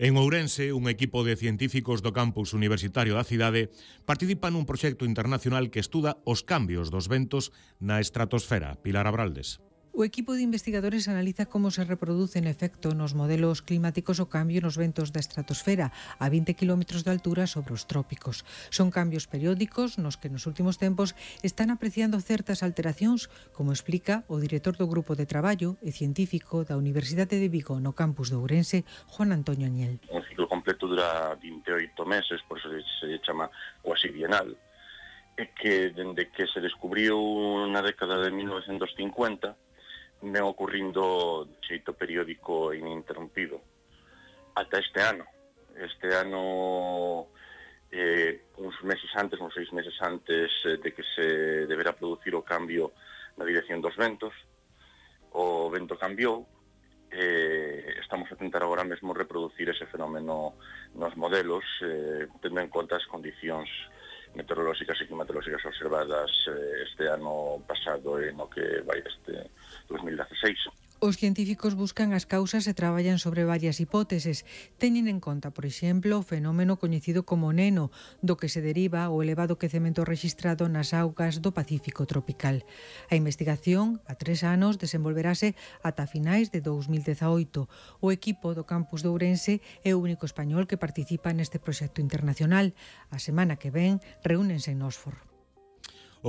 En Ourense, un equipo de científicos do campus universitario da cidade participa nun proxecto internacional que estuda os cambios dos ventos na estratosfera. Pilar Abraldes. O equipo de investigadores analiza como se reproduce en efecto nos modelos climáticos o cambio nos ventos da estratosfera a 20 km de altura sobre os trópicos. Son cambios periódicos nos que nos últimos tempos están apreciando certas alteracións, como explica o director do grupo de traballo e científico da Universidade de Vigo no campus de Ourense, Juan Antonio Añel. Un ciclo completo dura 28 meses, por eso se chama cuasi bienal, e que dende que se descubriu na década de 1950 ven ocurrindo de xeito periódico e ininterrompido ata este ano. Este ano, uns 6 meses antes de que se deberá producir o cambio na dirección dos ventos, o vento cambiou. Estamos a tentar agora mesmo reproducir ese fenómeno nos modelos, tendo en conta as condicións meteorolóxicas e climatolóxicas observadas este ano pasado e no que vai este 2016. Os científicos buscan as causas e traballan sobre varias hipóteses. Teñen en conta, por exemplo, o fenómeno coñecido como Neno, do que se deriva o elevado quecemento rexistrado nas augas do Pacífico tropical. A investigación, a 3 anos, desenvolverase ata finais de 2018. O equipo do campus de Ourense é o único español que participa neste proxecto internacional. A semana que ven reúnense en Oxford.